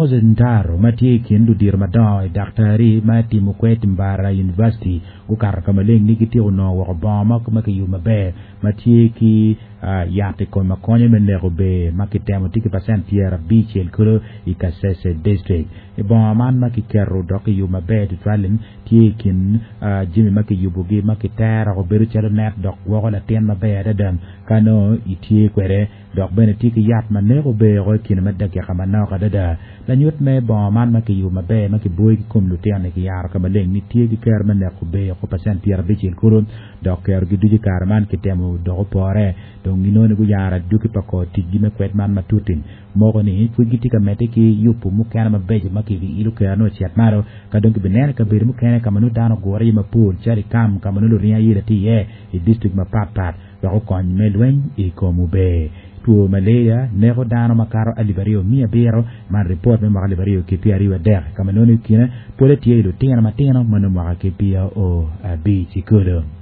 Moses Ntaro ma tye i kin ludito madongo i daktari ma timo kwed Mbarara University gukato ka maleng ni gityeko nongo woko bongo mo ma kiyubo maber ma tye ki yat i kome ma konyo me neko ber ma kitemo tye ki pacent 50 kulu i Kasese District. I bongo man ma kiketo dok kiyubo maber tutwal-li tye i kin jami ma kiyubogi ma kitero bedo calo net dok gwoko latin maber adada ka nongo itye kwede. Dok bene tye ki yat ma neko ber woko i kine me dakika manok adada. Lanyut me bongo man ma kiyubo maber ma kiboyo ki kom lutino-ni kiyaro ka maleng ni tye ki kero me neko ber woko pacent 50 kulu dok kerogi ducu i kare man kitemo dok opore. Dong ginongo ni guyaro adwogi pa kor ticgi me kwed man matut-ti. Moko ni pud gitye ka medde ki yubo mukene mabeco ma kibiilo kerone ocit malo ka dong kibineno i kabedo mukene ka ma nongo dano ogure iye mapol calo i kam ka ma nongo luringo ayela tye iye i distrik mapatpat. wek okony me lweny i kom ober. Two maleria neko dano makato 2700, man ripot me mwaka 2023, ka ma nongo i kine pole tye i lutino matino ma nongo mwaka ki 25 kulu.